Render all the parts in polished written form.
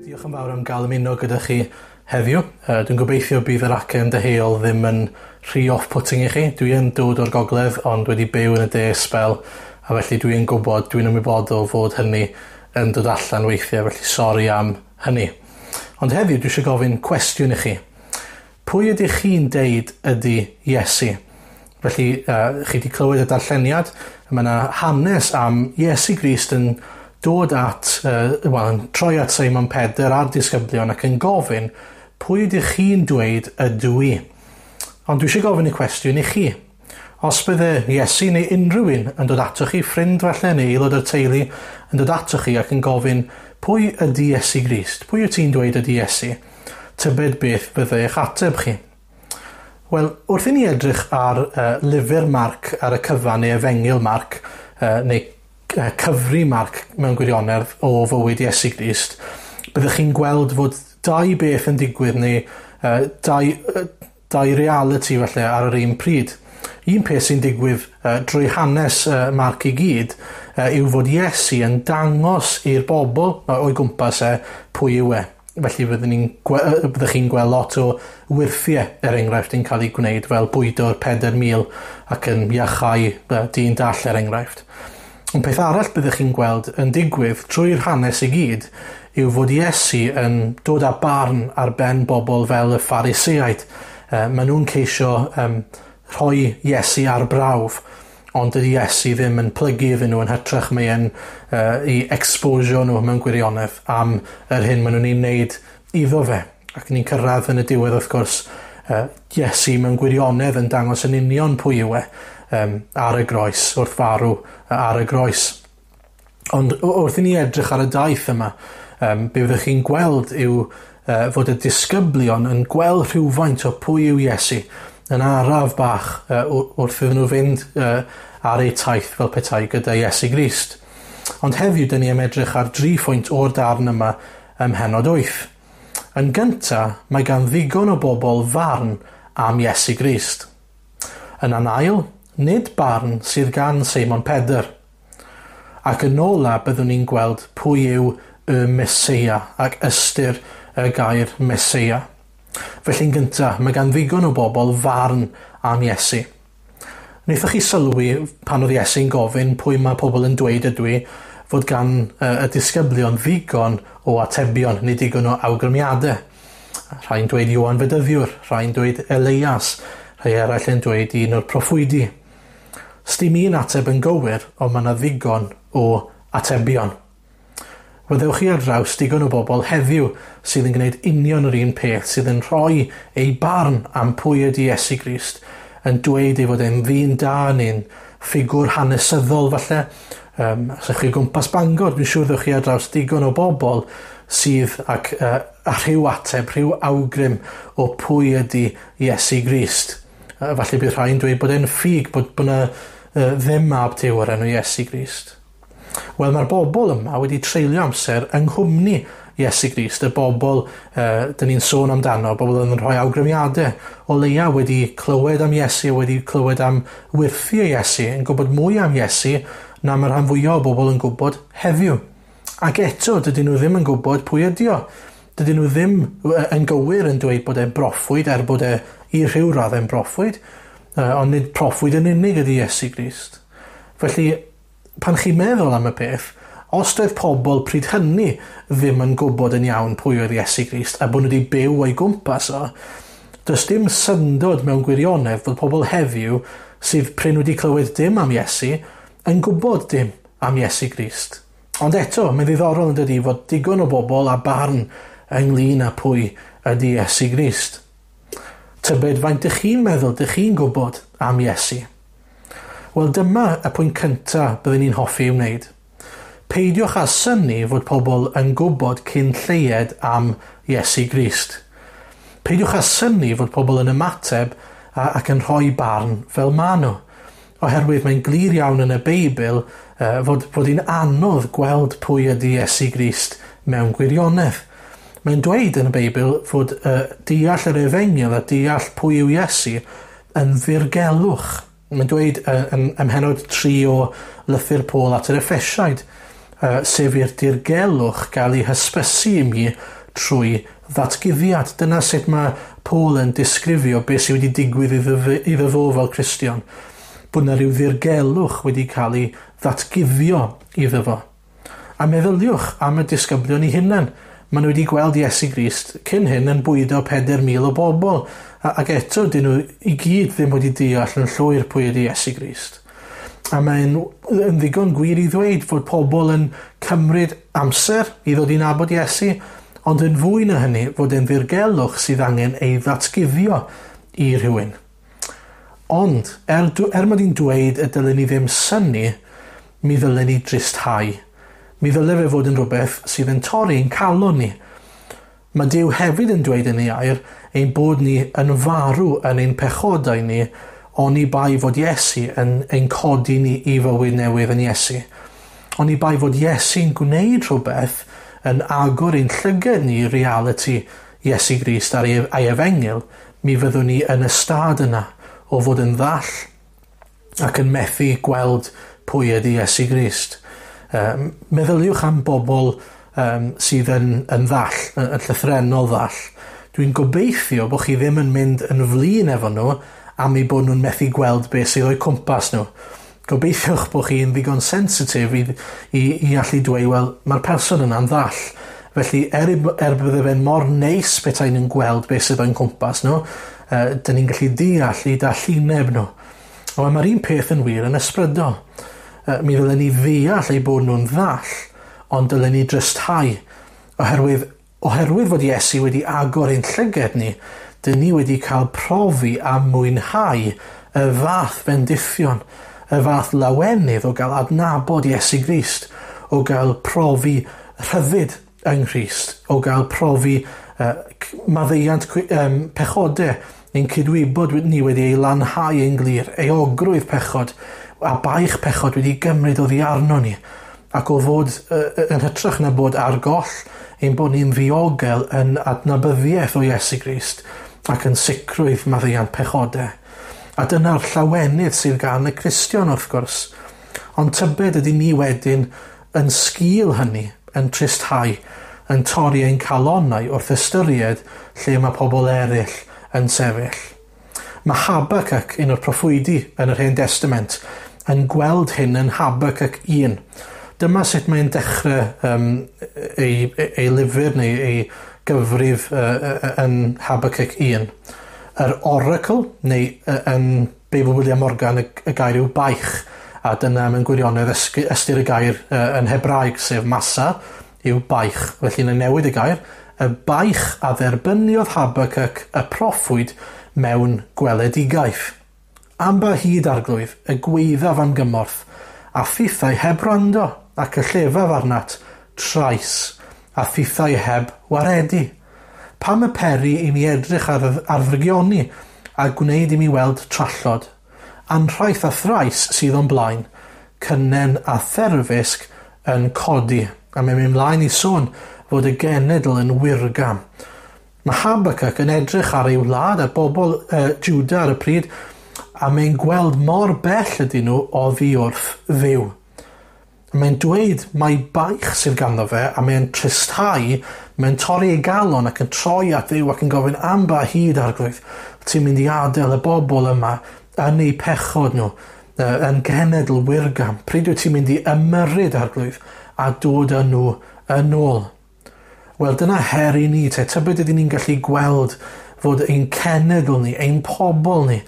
Diolch yn fawr am gael ymuno gyda chi heddiw. Dwi'n gobeithio bydd yr acen deheuol ddim yn rhy off-putting i chi. Dwi yn dod o'r gogledd ond wedi byw yn y de sbel a felly dwi'n gwybod, dwi'n ymwybodol fod hynny yn dod allan weithiau, felly sori am hynny. Ond heddiw dwi eisiau gofyn cwestiwn i chi. Pwy ydych chi'n deud ydy Iesu? Felly, chi wedi clywed y darlleniad, mae yna hanes am Iesu Grist yn dod at, wel, yn troi at Seimon Pedr a'r disgyblion ac yn gofyn, pwy ydych chi'n dweud ydw i? Ond dwi eisiau gofyn y cwestiwn i chi. Os bydde Iesu neu unrhyw un yn dod atoch chi, ffrind falle neu aelod o'r teulu, yn dod atoch chi ac yn gofyn, pwy ydy Iesu Grist? Pwy wyt ti'n dweud ydy Iesu? Tybed beth bydde eich ateb chi? Wel, wrth i ni edrych ar lyfr Marc ar y cyfan neu Efengyl Marc, neu cyfri Marc mewn gwirionedd o fywyd Iesu Grist, byddwch chi'n gweld fod dau beth yn digwydd neu dau reality falle ar yr un pryd. Un peth sy'n digwydd drwy hanes Marc i gyd yw fod Iesu yn dangos i'r bobl o'i gwmpas e pwy yw e. Felly byddwch chi'n gweld lot o wyrthiau, er enghraifft, yn cael ei gwneud fel bwydo'r 4,000 ac yn iachau dyn dall, er enghraifft. Ond peth arall byddwch chi'n gweld yn digwydd trwy'r hanes i gyd yw fod Iesu yn dod â barn ar ben bobl fel y Phariseaid. Maen nhw'n ceisio rhoi Iesu ar brawf, ond dydy Iesu ddim yn plygu iddyn nhw, yn hytrach mae e'n i exposio nhw mewn gwirionedd am yr hyn maen nhw'n ei wneud iddo fe. Ac ni'n cyrraedd yn y diwedd, wrth gwrs, Iesu mewn gwirionedd yn dangos yn union pwy yw e ar y groes, wrth farw ar y groes. Ond wrth i ni edrych ar y daith yma, be fyddwch chi'n gweld yw fod y disgyblion yn gweld rhywfaint o pwy yw Iesu yn araf bach wrth iddyn nhw fynd ar eu taith fel petai gyda Iesu Grist. Ond heddiw, dyn ni am edrych ar dri phwynt o'r darn yma ym mhennod 8. Yn gynta, mae gan ddigon o bobl farn am Iesu Grist. Yn ail, nid barn sydd gan Seimon Pedr. Ac yn ola, byddwn ni'n gweld pwy yw y Meseia ac ystyr y gair Meseia. Felly'n gyntaf, mae gan ddigon o bobl farn am Iesu. Wnaethoch chi sylwi pan oedd Iesu'n gofyn pwy mae pobl yn dweud ydw i, fod gan y disgyblion ddigon o atebion neu digon o awgrymiadau. Rhai'n dweud Ioan Fedyddiwr, rhai'n dweud Elias, rhai eraill yn dweud un o'r proffwydi. Sdim un ateb yn gywir, ond mae yna ddigon o atebion. Fyddwch chi ar draws digon o bobl heddiw sydd yn gwneud union yr un peth, sydd yn rhoi eu barn am pwy ydy Iesu Grist, yn dweud ei fod e'n ddyn da neu'n ffigwr hanesyddol falle. Os ydych chi o gwmpas Bangor, dwi'n siŵr ddewch chi ar draws digon o bobl sydd ac a rhyw ateb, rhyw awgrym o pwy ydy Iesu Grist. Falle bydd rhai'n dweud bod e'n ffug, bod yna ddim mab Duw o'r enw Iesu Grist. Wel, mae'r bobl yma wedi treulio amser yng nghwmni Iesu Grist, y bobl dyn ni'n sôn amdano, bobl yn rhoi awgrymiadau, o leia wedi clywed am Iesu, wedi clywed am wyrthiau Iesu, yn gwybod mwy am Iesu na mae'r rhan fwyaf o bobl yn gwybod heddiw. Ac eto, dydyn nhw ddim yn gwybod pwy ydi o. Dydyn nhw ddim yn gywir yn dweud bod e'n broffwyd, er bod e i rhyw raddau'n broffwyd, ond nid proffwyd yn unig ydi Iesu Grist. Felly, pan chi'n meddwl am y peth, os doedd pobl pryd hynny ddim yn gwybod yn iawn pwy oedd Iesu Grist a bod nhw wedi byw o'i gwmpas o, does dim syndod mewn gwirionedd fod pobl heddiw sydd prin wedi clywed dim am Iesu yn gwybod dim am Iesu Grist. Ond eto, mae'n ddiddorol yn dydi fod digon o bobl a barn ynglyn â pwy ydy Iesu Grist. Tybed faint ydych chi'n meddwl, ydych chi'n gwybod am Iesu? Wel, dyma y pwynt cyntaf byddwn ni'n hoffi ei wneud. Peidiwch â synnu fod pobl yn gwybod cyn lleied am Iesu Grist. Peidiwch â synnu fod pobl yn ymateb ac yn rhoi barn fel maen nhw. Oherwydd mae'n glir iawn yn y Beibl fod hi'n anodd gweld pwy ydy Iesu Grist mewn gwirionedd. Mae'n dweud yn y Beibl fod deall yr Efengyl a deall pwy yw Iesu yn ddirgelwch. Mae'n dweud ym mhennod 3 o lythyr Paul at yr Effesiaid sef i'r dirgelwch gael ei hysbysu i mi trwy ddatguddiad. Dyna sut mae Paul yn disgrifio beth sydd wedi digwydd iddo fo fel Cristion. Bod yna rhyw ddirgelwch wedi cael ei ddatguddio iddo fo. A meddyliwch am y disgyblion eu hunain. Maen nhw wedi gweld Iesu Grist cyn hyn yn bwydo 4,000 o bobl, ac eto dyn nhw i gyd ddim wedi deall yn llwyr pwy ydy Iesu Grist. A mae'n yn ddigon gwir i ddweud fod pobl yn cymryd amser i ddod i nabod Iesu, ond yn fwy na hynny fod e'n ddirgelwch sydd angen ei ddatguddio i rhywun. Ond, er mod i'n dweud y dylen ni ddim synnu, mi ddylen ni dristhau. Mi ddyle fe fod yn rhywbeth sydd yn torri'n calon ni. Mae Duw hefyd yn dweud yn ei air ein bod ni yn farw yn ein pechodau ni, oni bai fod Iesu yn ein codi ni i fywyd newydd yn Iesu. Oni bai fod Iesu'n gwneud rhywbeth yn agor ein llygad ni i realiti Iesu Grist a'i efengyl, mi fyddwn ni yn y stad yna o fod yn ddall ac yn methu gweld pwy ydy Iesu Grist. Meddyliwch am bobl sydd yn ddall, yn llythrennol ddall. Dwi'n gobeithio bod chi ddim yn mynd yn flin efo nhw am eu bod nhw'n methu gweld beth sydd o'u cwmpas nhw. Gobeithiwch bod chi'n ddigon sensitif i allu dweud, wel, mae'r person yna'n ddall. Felly, er bydde fe'n mor neis petai nhw'n gweld beth sydd o'u cwmpas nhw, dyn ni'n gallu deall eu dallineb nhw. Ond mae'r un peth yn wir yn ysbrydol. Mi ddylen ni ddeall eu bod nhw'n ddall, ond dylen ni drysthau. Oherwydd fod Iesu wedi agor ein llygad ni, dyn ni wedi cael profi a mwynhau y fath fendithion, y fath lawenydd o gael adnabod Iesu Grist, o gael profi rhyddid yng Nghrist, o gael profi maddeuant pechodau, ein cydwybod ni wedi ei lanhau yn glir, euogrwydd pechod, a baich pechod wedi gymryd oddi arno ni, ac o fod yn hytrach na bod ar goll, ein bod ni'n ddiogel yn adnabyddiaeth o Iesu Grist ac yn sicrwydd maddeuant pechodau. A dyna'r llawenydd sydd gan y Cristion wrth gwrs. Ond tybed ydy ni wedyn yn sgil hynny, yn tristhau, yn torri ein calonnau wrth ystyried lle mae pobl eraill yn sefyll. Mae Habakkuk, un o'r proffwydi yn yr Hen Testament, yn gweld hyn yn Habakkuk 1. Dyma sut mae'n dechrau ei lyfr neu ei gyfrif yn Habakkuk 1. Yr oracle, neu yn Beibl William Morgan, y gair yw baich, a dyna mewn gwirionedd ystyr y gair yn Hebraeg, sef masa, yw baich. Felly yn newid y gair, y baich a dderbyniodd Habakkuk y proffwyd mewn gweledigaeth. Am ba hyd arglwydd, y gweithaf am gymorth, a thithau heb wrando, ac y llefaf arnat, trais, a thithau heb waredu. Pam y peri i mi edrych ar ddrygioni, a gwneud i mi weld trallod? Anrhaith a thrais sydd o'n blaen, cynnen a therfysg yn codi. A mae'n mynd mlaen i sôn fod y genedl yn wirgam. Mae Habakkuk yn edrych ar ei wlad, ar bobl Juda ar y pryd, a mae'n gweld mor bell ydyn nhw oddi wrth Dduw. Mae'n dweud mai baich sydd ganddo fe, a mae'n tristhau, mae'n torri ei galon ac yn troi at Dduw ac yn gofyn am ba hyd arglwydd, ti'n mynd i adael y bobl yma yn eu pechod nhw, yn genedl wirgam. Pryd wyt ti'n mynd i ymyrryd arglwydd a dod â nhw yn ôl? Wel, dyna her i ni, te. Tybed ydyn ni'n gallu gweld fod ein cenedl ni, ein pobl ni,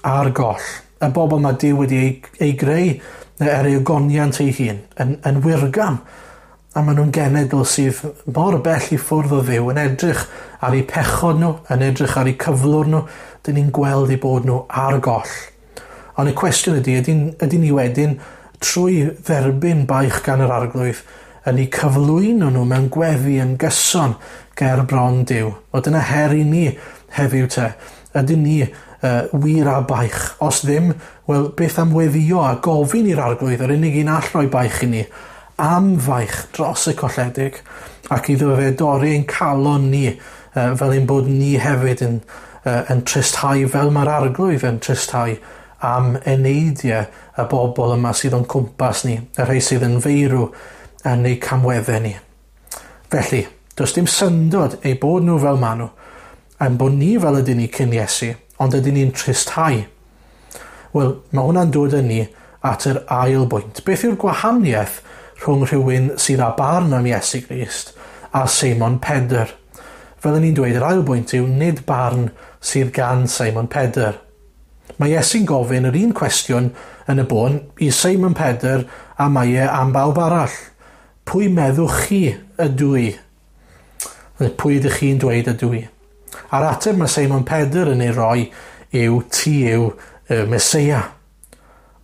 ar goll. Y bobl mae Duw wedi ei greu er ei ogoniant ei hun, yn wirgam. A maen nhw'n genedl sydd mor bell i ffwrdd o Dduw, yn edrych ar eu pechod nhw, yn edrych ar eu cyflwr nhw, dyn ni'n gweld eu bod nhw ar goll. Ond y cwestiwn ydy, ydy ni wedyn, trwy dderbyn baich gan yr arglwydd, yn eu cyflwyno nhw mewn gweddi yn gyson ger bron Duw. O, dyna her i ni heddiw te. Ydyn ni wir a baich? Os ddim, wel, beth am weddio a gofyn i'r arglwydd, yr unig un all roi baich i ni, am faich dros y colledig, ac iddo fe dorri ein calon ni, fel ein bod ni hefyd yn tristhau, fel mae'r arglwydd yn tristhau am eneidiau y bobl yma sydd o'n cwmpas ni, y rhai sydd yn feirw yn eu camweddau ni. Felly, does dim syndod eu bod nhw fel maen nhw, a'n bod ni fel ydyn ni cyn Iesu, ond ydyn ni'n tristhau. Wel, mae hwnna'n dod â ni at yr ail bwynt. Beth yw'r gwahaniaeth rhwng rhywun sydd â barn am Iesu Grist a Seimon Pedr? Fel o'n i'n dweud, yr ail bwynt yw nid barn sydd gan Seimon Pedr. Mae Iesu'n gofyn yr un cwestiwn yn y bôn i Seimon Pedr a mae e am bawb arall. Pwy meddwch chi ydw i? Pwy ydych chi'n dweud ydw i? A'r ateb mae Seimon Pedr yn ei roi yw ti yw y Meseia.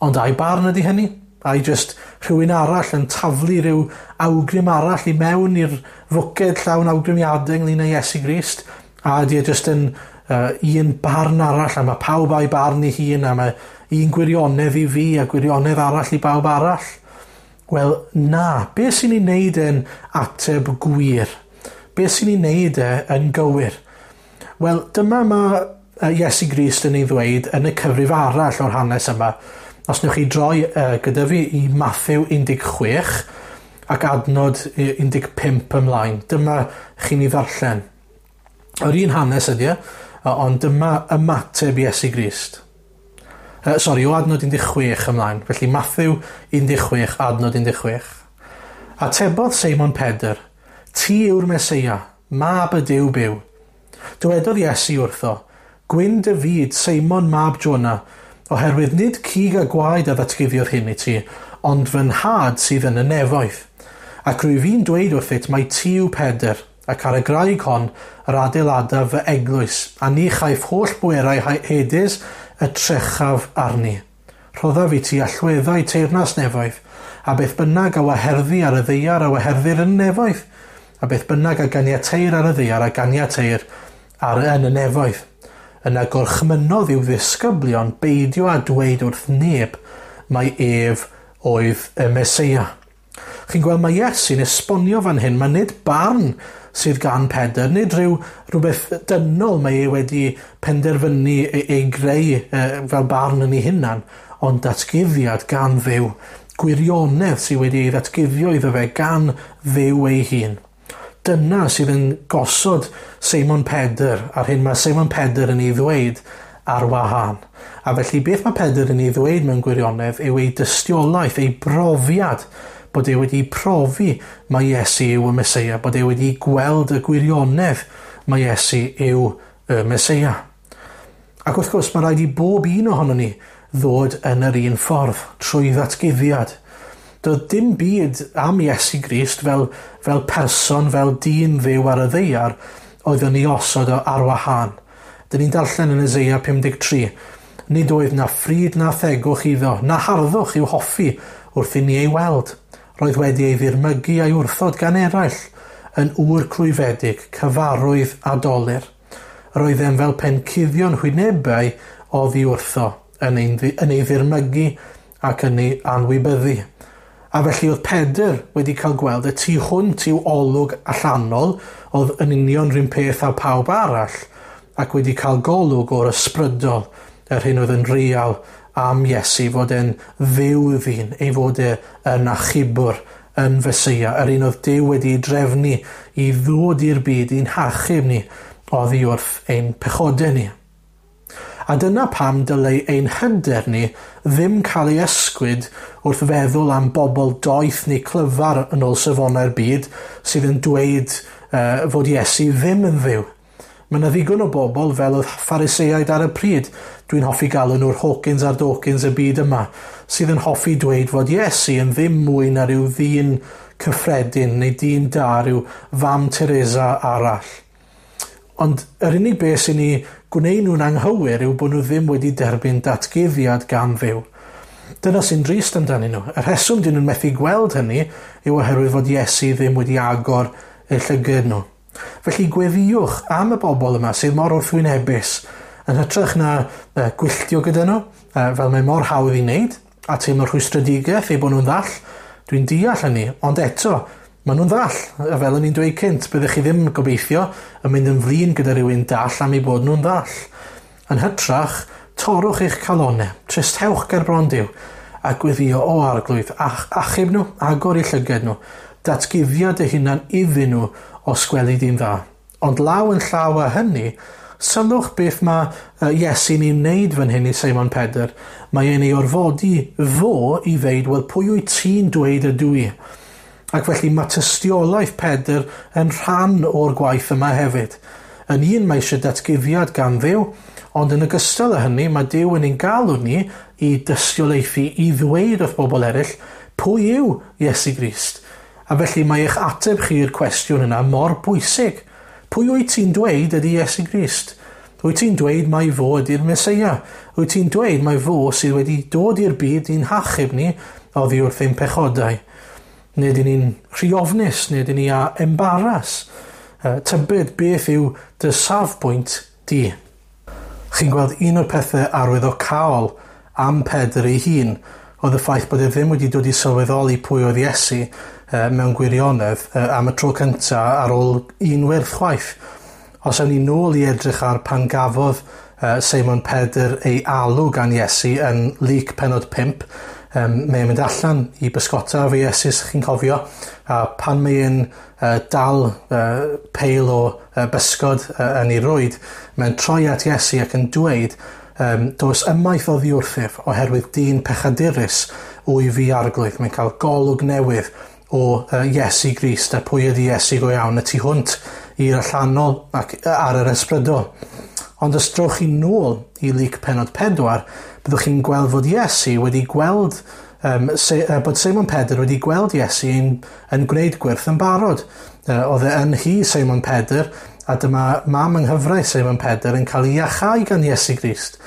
Ond ai barn ydy hynny? Ai jyst rhywun arall yn taflu rhyw awgrym arall i mewn i'r fwced llawn awgrymiadau ynglyn â Iesu Grist? A ydy e jyst yn un barn arall, a mae pawb a'i barn ei hun, a mae un gwirionedd i fi a gwirionedd arall i bawb arall? Wel, na. Be sy'n ei wneud e'n ateb gwir? Be sy'n ei wneud e yn gywir? Wel, dyma mae Iesu Grist yn ei ddweud yn y cyfrif arall o'r hanes yma. Os newch chi droi gyda fi i Mathew 16 ac adnod 15 ymlaen, dyma chi'n ei ddarllen. Yr un hanes ydy e, ond dyma ymateb Iesu Grist. O adnod 16 ymlaen. Felly Mathew 16, adnod 16. Atebodd Seimon Pedr, ti yw'r Meseia, mab y Duw byw. Dywedodd Iesu wrtho, gwyn dy fyd, Seimon mab Jona, oherwydd nid cig a gwaed a ddatguddiodd hyn i ti, ond fy nhad sydd yn y nefoedd. Ac rwyf fi'n dweud wrthyt mai ti yw Pedr, ac ar y graig hon yr adeiladaf fy eglwys, a ni chaiff holl bwerau Hades y trechaf arni. Rhoddaf i ti allweddau teyrnas nefoedd, a beth bynnag a waherddi ar y ddaear a waherddir yn y nefoedd, a beth bynnag a ganiateir ar y ddaear a ganiateir ar yn y nefoedd. Yna gorchmynnodd i'w ddisgyblion beidio â dweud wrth neb mai ef oedd y Meseia. Chi'n gweld mae Iesu'n esbonio fan hyn, mae nid barn sydd gan Pedr, nid rhywbeth dynol mae e wedi penderfynu ei greu fel barn yn ei hunan, ond datguddiad gan Dduw, gwirionedd sydd wedi ei ddatguddio iddo fe gan Dduw ei hun. Dyna sydd yn gosod Seimon Pedr, a'r hyn mae Seimon Pedr yn ei ddweud ar wahân. A felly beth mae Pedr yn ei ddweud mewn gwirionedd yw ei dystiolaeth, ei brofiad, bod e wedi profi mai Iesu yw y Meseia, bod e wedi gweld y gwirionedd mai Iesu yw y Meseia. Ac wrth gwrs mae rhaid i bob un ohonon ni ddod yn yr un ffordd, trwy ddatguddiad. Doedd dim byd am Iesu Grist fel person, fel dyn fyw ar y ddaear, oedd yn ei osod o ar wahân. Dyn ni'n darllen yn Eseia 53. Nid oedd na ffryd na thegwch iddo, na harddwch i'w hoffi wrth i ni ei weld. Roedd wedi ei ddirmygu a'i wrthod gan eraill, yn ŵr clwyfedig, cyfarwydd a dolur. Roedd e'n fel pencuddion hwynebau oddi wrtho, yn ei ddirmygu ac yn ei anwybyddu. A felly oedd Pedr wedi cael gweld y tu hwnt i'w olwg allanol, oedd yn union rhywun peth â pawb arall, ac wedi cael golwg o'r ysbrydol, yr hyn oedd yn real am Iesu, fod e'n Dduw ddyn, ei fod e yn achubwr, yn Feseia, yr un oedd Duw wedi ei drefnu i ddod i'r byd i'n hachub ni oddi wrth ein pechodau ni. A dyna pam dylai ein hyder ni ddim cael ei ysgwyd wrth feddwl am bobl doeth neu clyfar yn ôl safonau'r byd sydd yn dweud fod Iesu ddim yn Dduw. Mae yna ddigon o bobl fel oedd Phariseaid ar y pryd, dwi'n hoffi galw nhw'r Hawkins a'r Dawkins y byd yma, sydd yn hoffi dweud fod Iesu yn ddim mwy na rhyw ddyn cyffredin neu dyn da, rhyw fam Teresa arall. Ond yr unig beth sy'n ei gwneud nhw'n anghywir yw bod nhw ddim wedi derbyn datguddiad gan Dduw. Dyna sy'n drist amdanyn nhw. Y rheswm dyn nhw'n methu gweld hynny yw oherwydd fod Iesu ddim wedi agor eu llygad nhw. Felly gweddïwch am y bobl yma sydd mor wrthwynebus, yn hytrach na gwylltio gyda nhw, fel mae mor hawdd i wneud, a teimlo rhwystredigaeth eu bod nhw'n ddall. Dwi'n deall hynny, ond eto, maen nhw'n ddall. A fel o'n i'n dweud cynt, byddech chi ddim gobeithio yn mynd yn flin gyda rhywun dall am eu bod nhw'n ddall. Yn hytrach, torrwch eich calonau, tristhewch ger bron Duw, a gweddïo o Arglwydd, achub nhw, agor eu llygad nhw, Datguddia dy hunan iddyn nhw os gweli di'n dda. Ond law yn llaw â hynny, sylwch beth mae Iesu'n ei wneud fan hyn i Seimon Pedr. Mae e'n ei orfodi fo i ddeud, wel, pwy wyt ti'n dweud ydw i? Ac felly mae tystiolaeth Pedr yn rhan o'r gwaith yma hefyd. Yn un mae eisiau datguddiad gan Dduw, ond yn ogystal â hynny mae Duw yn ein galw ni i dystiolaethu, i ddweud wrth bobl eraill pwy yw Iesu Grist. A felly mae eich ateb chi i'r cwestiwn yna mor bwysig. Pwy wyt ti'n dweud ydy Iesu Grist? Wyt ti'n dweud mai fo ydy'r Meseia? Wyt ti'n dweud mai fo sydd wedi dod i'r byd i'n hachub ni oddi wrth ein pechodau? Neu ydyn ni'n rhy ofnus, neu ydyn ni a embaras? Tybed beth yw dy safbwynt di? Chi'n gweld un o'r pethau arwyddocaol am Pedr ei hun oedd y ffaith bod e ddim wedi dod i sylweddoli pwy oedd Iesu mewn gwirionedd am y tro cyntaf ar ôl un wyrth chwaith. Os awn ni nôl i edrych ar pan gafodd Seimon Pedr ei alw gan Iesu yn Luc pennod 5, mae'n mynd allan i bysgota efo Iesu, os chi'n cofio, a pan mae'n dal peil o bysgod yn ei rwyd, mae'n troi at Iesu ac yn dweud, dos ymaith oddi wrthyf oherwydd dyn pechadurus wyf fi arglwydd. Mae'n cael golwg newydd o Iesu Grist a pwy ydy Iesu go iawn y tu hwnt i'r allanol ac ar yr ysbrydol. Ond os drowch chi nôl i Luc pennod 4, byddwch chi'n gweld fod Iesu wedi gweld, bod Seimon Pedr wedi gweld Iesu yn gwneud gwyrth yn barod. Oedd e yn hi Seimon Pedr, a dyma mam yng nghyfraith Seimon Pedr yn cael ei iachau gan Iesu Grist.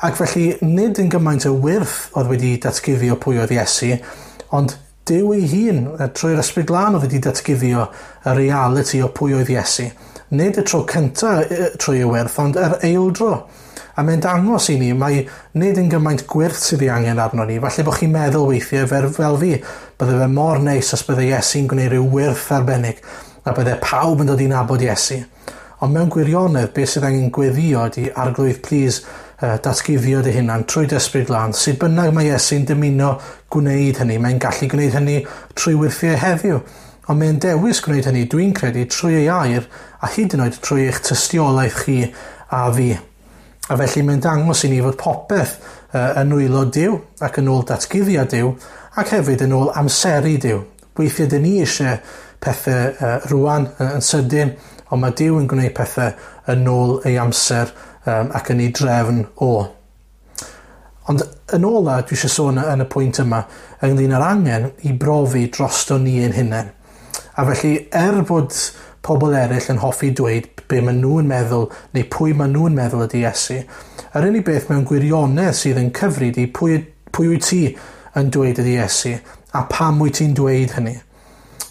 Ac felly nid yn gymaint o wyrth oedd wedi datguddio pwy oedd Iesu, ond Duw ei hun, trwy'r Ysbryd Glân oedd wedi datguddio y realiti o pwy oedd Iesu. Nid y tro cyntaf trwy y wyrth, ond yr eildro. A mae'n dangos i ni, mae nid yn gymaint gwyrth sydd ei angen arno ni. Falle bod chi'n meddwl weithiau fel fi, bydde fe mor neis os bydde Iesu'n gwneud rhyw wyrth arbennig, a bydde pawb yn dod i nabod Iesu. Ond mewn gwirionedd, beth sydd angen gweddio ydy, Arglwydd, please, datguddio dy hunan trwy dy Ysbryd Glân. Sut bynnag mae Iesu'n dymuno gwneud hynny, mae'n gallu gwneud hynny trwy wyrthiau heddiw. Ond mae'n dewis gwneud hynny, dwi'n credu, trwy ei air a hyd yn oed trwy eich tystiolaeth chi a fi. A felly mae'n dangos i ni fod popeth yn nwylo Duw ac yn ôl datguddiad Duw ac hefyd yn ôl amseru Duw. Weithiau dyn ni eisiau pethau rwan yn sydyn, ond mae Duw yn gwneud pethau yn ôl ei amser ac yn ei drefn o. Ond yn ola, dwi eisiau sôn yn y pwynt yma ynglyn â'r angen i brofi drosto ni ein hunain. A felly, bod pobl eraill yn hoffi dweud be maen nhw'n meddwl neu pwy maen nhw'n meddwl ydy Iesu, yr unig beth mewn gwirionedd sydd yn cyfri ydy pwy wyt ti yn dweud ydy Iesu a pam wyt ti'n dweud hynny.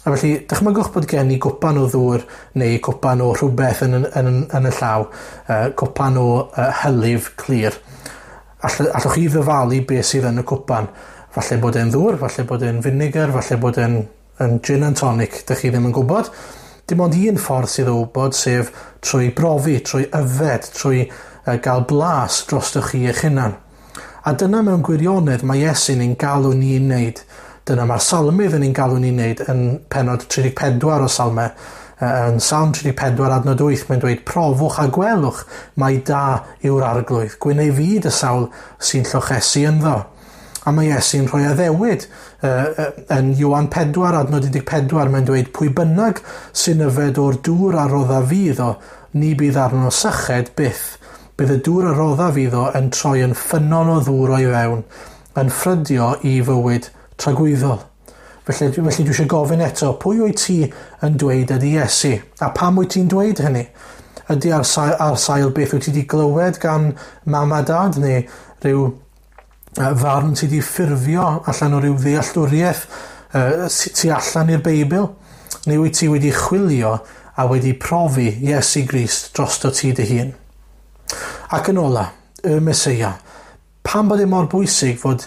A felly, dychmygwch bod gen i gwpan o ddŵr neu cwpan o rhywbeth yn y llaw, cwpan o hylif clir. Allwch chi ddyfalu beth sydd yn y cwpan. Falle bod e'n ddŵr, falle bod e'n vinegar, falle bod e'n gin and tonic, dych chi ddim yn gwybod. Dim ond un ffordd sydd o wybod, sef trwy brofi, trwy yfed, trwy gael blas drostoch chi eich hunan. A dyna mewn gwirionedd mae Iesu'n ein galw ni'n wneud. Dyna mae'r salmydd yn ein galw ni'n wneud yn pennod 34 o Salmau. Yn Salm 34 adnod 8 mae'n dweud, profwch a gwelwch mai da yw'r arglwydd. Gwyn ei fyd y sawl sy'n llochesu ynddo. A mae Iesu'n rhoi addewid yn Ioan 4 adnod 14 mae'n dweud, pwy bynnag sy'n yfed o'r dŵr a rodda fi iddo, ni bydd arno syched byth. Bydd y dŵr a rodda fi iddo yn troi yn ffynnon o ddŵr o'i fewn, yn ffrydio i fywyd tragwyddol. Felly dwi eisiau gofyn eto, pwy wyt ti yn dweud ydy Iesu? A pam wyt ti'n dweud hynny? Ydy ar sail beth wyt ti wedi glywed gan mam a dad neu rhyw farn ti wedi ffurfio allan o ryw ddealltwriaeth tu allan i'r Beibl? Neu wyt ti wedi chwilio a wedi profi Iesu Grist drosto ti dy hun? Ac yn ola, y Meseia. Pam bod e mor bwysig fod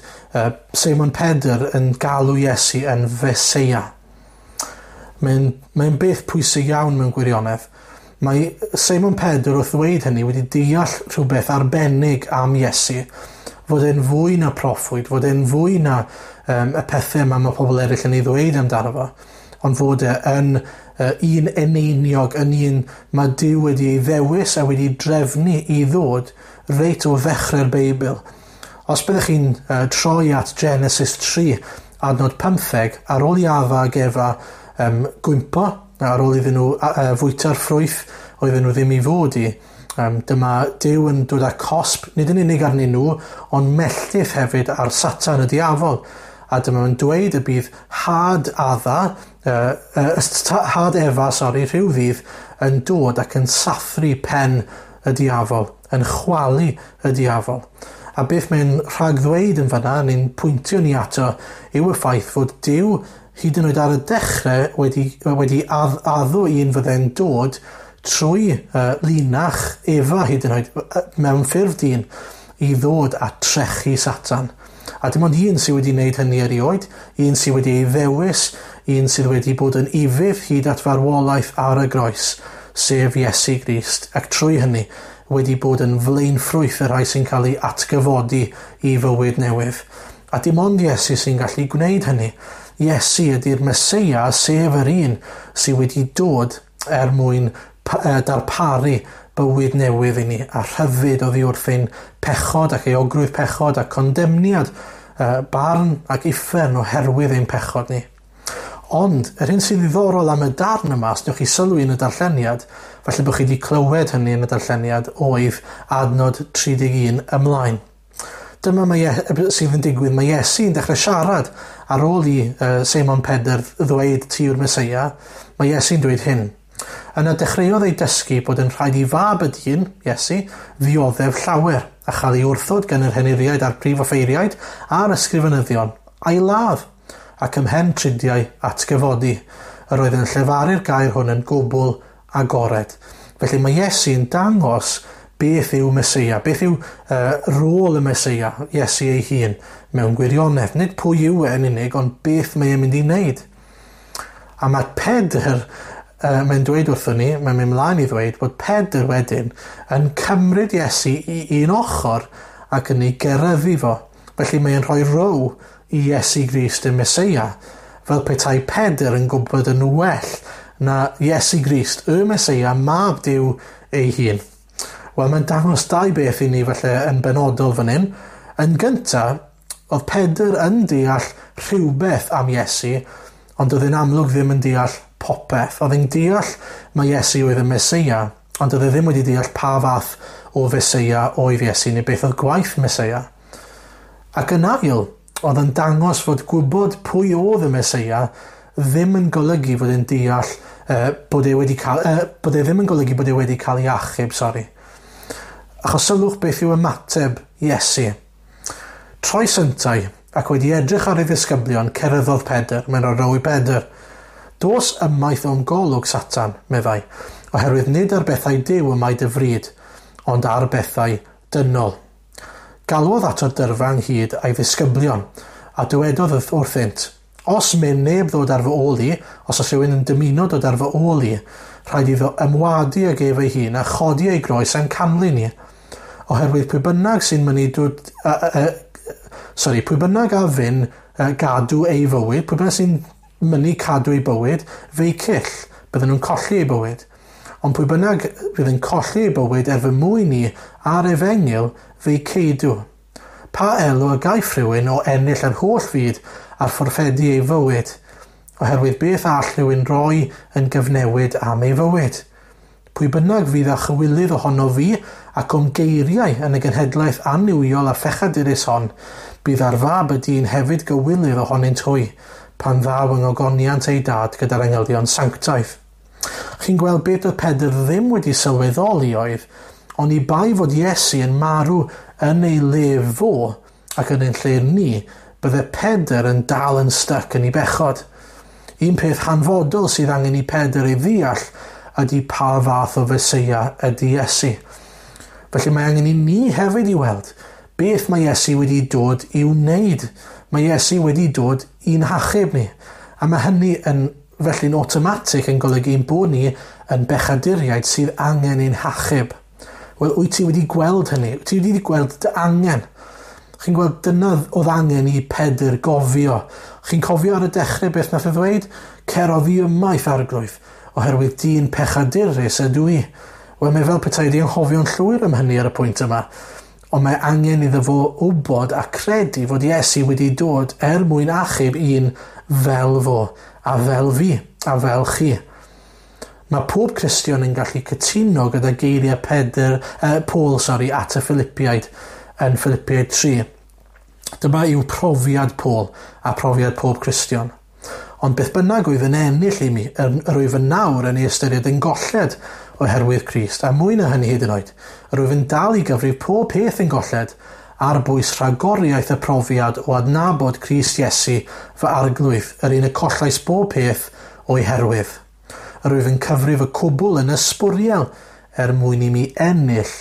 Seimon Pedr yn galw Iesu yn Feseia? Mae'n beth pwysig iawn mewn gwirionedd. Mae Seimon Pedr wrth ddweud hynny wedi deall rhywbeth arbennig am Iesu, fod e'n fwy na proffwyd, fod e'n fwy na y pethau yma mae pobl eraill yn ei ddweud amdano fo. ond fod e yn un eneiniog, yn un mae Duw wedi ei ddewis a wedi drefnu i ddod reit o ddechrau'r Beibl. Os byddwch chi'n troi at Genesis 3, adnod 15, ar ôl i Adda ag Efa gwympo, ar ôl iddyn nhw fwyta'r ffrwyth oedden nhw ddim i fod i, dyma Duw yn dod â cosb, nid yn unig arnyn nhw, ond melltith hefyd ar Satan y diafol. A dyma nhw'n dweud y bydd had Adda, had Efa, sori, rhyw ddydd, yn dod ac yn sathru pen y diafol, yn chwalu y diafol. A beth mae'n rhagddweud yn fanna, neu'n pwyntio ni ato, yw y ffaith fod Duw hyd yn oed ar y dechrau wedi addo un fydde'n dod trwy linach Efa hyd yn oed mewn ffurf dyn i ddod a trechu Satan. A dim ond un sydd wedi wneud hynny erioed, un sydd wedi ei ddewis, un sydd wedi bod yn ufudd hyd at farwolaeth ar y groes, sef Iesu Grist, ac trwy hynny wedi bod yn flaenffrwyth y rhai sy'n cael ei atgyfodi i fywyd newydd. A dim ond Iesu sy'n gallu gwneud hynny. Iesu ydy'r Meseia, sef yr un sydd wedi dod er mwyn darparu bywyd newydd i ni a rhyddid oddi wrth ein pechod ac euogrwydd pechod a condemniad, barn ac uffern oherwydd ein pechod ni. Ond, yr hyn sy'n ddiddorol am y darn yma, os newch chi sylwi yn y darlleniad, falle bod chi wedi clywed hynny yn y darlleniad, oedd adnod 31 ymlaen. Dyma mae sydd yn digwydd, mae Iesu'n dechrau siarad ar ôl i Seimon Pedr ddweud ti yw'r Meseia, mae Iesu'n dweud hyn. Yna dechreuodd ei dysgu bod yn rhaid i fab y dyn, Iesu, ddioddef llawer a chael ei wrthod gan yr henuriaid a'r prif offeiriaid a'r ysgrifenyddion, a'i ladd, ac ymhen tridiau atgyfodi. Yr oedd yn llefaru'r gair hwn yn gwbl agored. Felly mae Iesu'n dangos beth yw Meseia, beth yw rôl y Meseia, Iesu ei hun, mewn gwirionedd. Nid pwy yw e yn unig, ond beth mae e'n mynd i wneud. A mae Pedr, mae'n dweud wrthon ni, mae'n mynd mlaen i ddweud bod Pedr wedyn yn cymryd Iesu i un ochr ac yn ei geryddu fo. Felly mae'n rhoi row i Iesu Grist y Meseia, fel petai Pedr yn gwybod yn well na Iesu Grist, y Meseia, mab Duw ei hun. Wel, mae'n dangos dau beth i ni falle yn benodol fan hyn. Yn gyntaf, oedd Pedr yn deall rhywbeth am Iesu, ond oedd e'n amlwg ddim yn deall popeth. Oedd e'n deall mai Iesu oedd y Meseia, ond oedd e ddim wedi deall pa fath o Feseia oedd Iesu, neu beth oedd gwaith Meseia. Ac yn ail, oedd yn dangos fod gwybod pwy oedd y Meseia ddim yn golygu fod e'n deall bod e wedi cael, bod e ddim yn golygu bod e wedi cael ei achub, sori. Achos sylwch beth yw ymateb Iesu. Troes yntau ac wedi edrych ar ei ddisgyblion, ceryddodd Pedr, mae'n rhoi row i Pedr. Dos ymaith o'm golwg, Satan, meddai, oherwydd nid ar bethau Duw y mae dy fryd, ond ar bethau dynol. Galwodd ato'r dyrfa ynghyd a'i ddisgyblion, a dywedodd wrthynt, os myn neb ddod ar fy ôl i, os oes rhywun yn dymuno dod ar fy ôl i, rhaid iddo ymwadu ag ef ei hun a chodi ei groes a'n canlyn i. Oherwydd pwy bynnag sy'n mynnu dod, pwy bynnag a fyn gadw ei fywyd, pwy bynnag sy'n mynnu cadw ei bywyd, fe'i cyll, bydden nhw'n colli ei bywyd. Ond pwy bynnag fydd yn colli ei bywyd er fy mwyn i a'r efengyl, fe'i ceidw. Pa elw a gaiff rhywun o ennill yr holl fyd a'r fforffedu ei fywyd, oherwydd beth all rhywun roi yn gyfnewid am ei fywyd? Pwy bynnag fydd â chywilydd ohono fi ac o'm geiriau yn y genhedlaeth annuwiol a phechadurus hon, bydd ar fab y dyn hefyd gywilydd ohonynt hwy, pan ddaw yng ngogoniant ei dad gyda'r angylion sanctaidd. Chi'n gweld beth oedd Pedr ddim wedi sylweddoli oedd, ond i bai fod Iesu yn marw yn ei le fo ac yn ein lle ni, bydde Pedr yn dal yn styc yn ei bechod. Un peth hanfodol sydd angen i Pedr ei ddeall ydy pa fath o Feseia ydy Iesu. Felly mae angen i ni hefyd i weld beth mae Iesu wedi dod i'w wneud. Mae Iesu wedi dod i'n hachub ni. A mae hynny yn felly'n awtomatig yn golygu ein bod ni yn bechaduriaid sydd angen ein hachub. Wel, wyt ti wedi gweld hynny? Wyt ti wedi gweld dy angen? Chi'n gweld dyna oedd angen i Pedr gofio. Chi'n cofio ar y dechrau beth nath e ddweud? Cer oddi ymaith, Arglwydd, oherwydd dyn pechadurus ydw i. Wel, mae fel petai wedi anghofio'n llwyr am hynny ar y pwynt yma. Ond mae angen iddo fo wybod a credu fod Iesu wedi dod er mwyn achub un fel fo, a fel fi, a fel chi. Mae pob Cristion yn gallu cytuno gyda geiriau Paul, at y Philippiaid yn Philippiaid 3. Dyma yw profiad Paul a profiad pob Cristion. Ond beth bynnag oedd yn ennill i mi, yr wyf yn nawr yn ei ystyried yn golled oherwydd Crist, a mwy na hynny hyd yn oed, yr wyf yn dal i gyfrif pob peth yn golled ar bwys rhagoriaeth y profiad o adnabod Crist Iesu fy arglwydd, yr un y collais bob peth o'i herwydd. Yr wyf yn cyfrif y cwbl yn ysbwriel er mwyn i mi ennill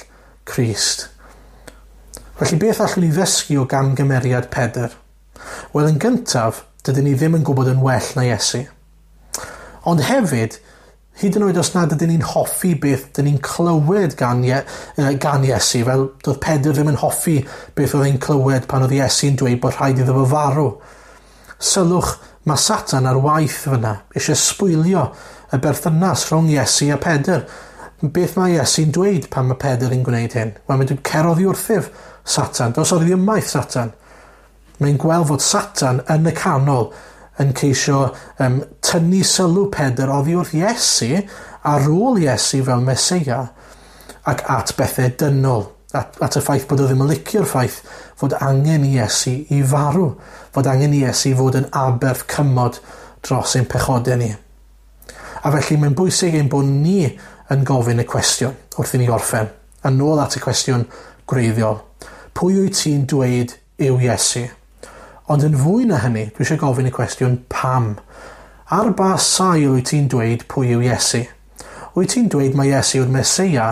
Crist. Felly beth allwn ni ddysgu o gamgymeriad Pedr? Wel, yn gyntaf, dydyn ni ddim yn gwybod yn well na Iesu. Ond hefyd, hyd yn oed os nad ydyn ni'n hoffi beth dyn ni'n clywed gan Iesu, fel doedd Pedr ddim yn hoffi beth oedd e'n clywed pan oedd Iesu'n dweud bod rhaid iddo fo farw. Sylwch, mae Satan ar waith fyna, eisiau sbwylio y berthynas rhwng Iesu a Pedr. Beth mae Iesu'n dweud pan mae Pedr yn gwneud hyn? Wel, mae'n dweud, cer oddi wrthyf, Satan, dos oddi ymaith, Satan. Mae'n gweld fod Satan yn y canol yn ceisio tynnu sylw Pedr oddi wrth Iesu ar ôl Iesu fel Meseia ac at bethau dynol, at y ffaith bod o ddim yn licio'r ffaith fod angen i Iesu i farw, fod angen i Iesu fod yn aberth cymod dros ein pechodau ni. A felly mae'n bwysig ein bod ni yn gofyn y cwestiwn wrth i ni orffen, a nôl at y cwestiwn gwreiddiol. Pwy wyt ti'n dweud yw Iesu? Ond yn fwy na hynny, dwi eisiau gofyn y cwestiwn pam. Ar ba sail wyt ti'n dweud pwy yw Iesu? Wyt ti'n dweud mai Iesu yw'r Meseia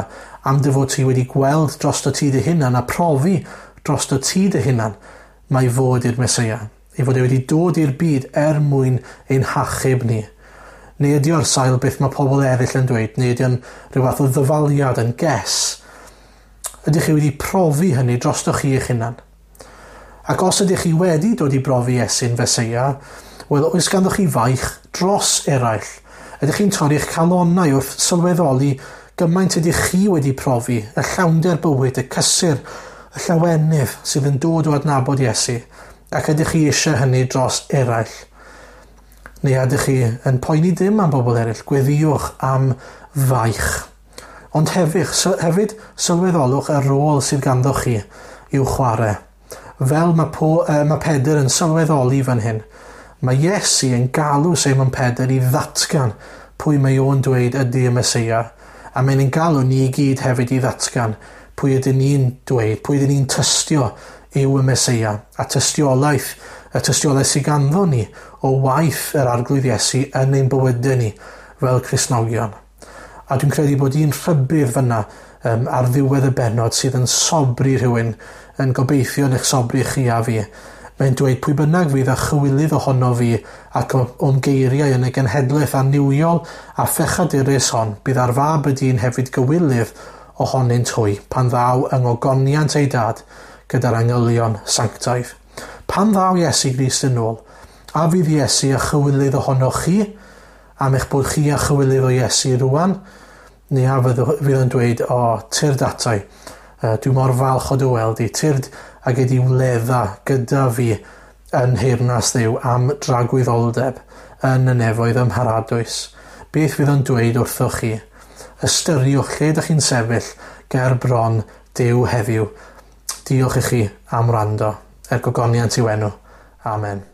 am dy fod ti wedi gweld drosto ti dy hunan a profi drosto ti dy hunan mai fod i'r Meseia, ei fod e wedi dod i'r byd er mwyn ein hachub ni? Neu ydy o'r sail beth mae pobl eraill yn dweud, neu ydy o'n rhyw fath o ddyfaliad yn guess? Ydych chi wedi profi hynny drosto chi eich hunan? Ac os ydych chi wedi dod i brofi Iesu'n Feseia, wel, oes ganddoch chi faich dros eraill? Ydych chi'n torri'ch calonnau wrth sylweddoli gymaint ydych chi wedi profi, y llawnder bywyd, y cysur, y llawenydd sydd yn dod o adnabod Iesu, ac ydych chi eisiau hynny dros eraill? Neu ydych chi yn poeni dim am bobl eraill, gweddïwch am faich. Ond hefyd sylweddolwch y rôl sydd ganddoch chi i'w chwarae. Fel mae Pedr yn sylweddoli fan hyn, mae Iesu yn galw Seimon Pedr i ddatgan pwy mae o'n dweud ydy y Meseia, a mae'n ein galw ni i gyd hefyd i ddatgan pwy ydyn ni'n dweud, pwy ydyn ni'n tystio yw y Meseia, a tystiolaeth, y tystiolaeth sydd ganddo ni o waith yr Arglwydd Iesu yn ein bywydau ni fel Cristnogion. A dwi'n credu bod un rhybudd fyna ar ddiwedd y bennod sydd yn sobri rhywun, yn gobeithio yn eich sobri chi a fi. Mae'n dweud pwy bynnag fydd a chywilydd ohono fi ac o'm geiriau yn y genhedlaeth annuwiol a phechadurus hon, bydd ar fab y dyn hefyd gywilydd ohonynt hwy, pan ddaw yng ngogoniant ei dad gyda'r angylion sanctaidd. Pan ddaw Iesu Grist yn ôl, a fydd Iesu a chywilydd ohonoch chi, am eich bod chi a chywilydd o Iesu rwan, neu a fydd yn dweud, o, tyrd atai, dwi mor falch o dy weld i, tyrd ag ydi wledda gyda fi yn nheyrnas Dduw am dragwyddoldeb yn y nefoedd ym mharadwys. Beth fydd o'n dweud wrthoch chi? Ystyriwch lle ydych chi'n sefyll ger bron Duw heddiw. Diolch i chi am wrando. Er gogoniant i'w enw. Amen.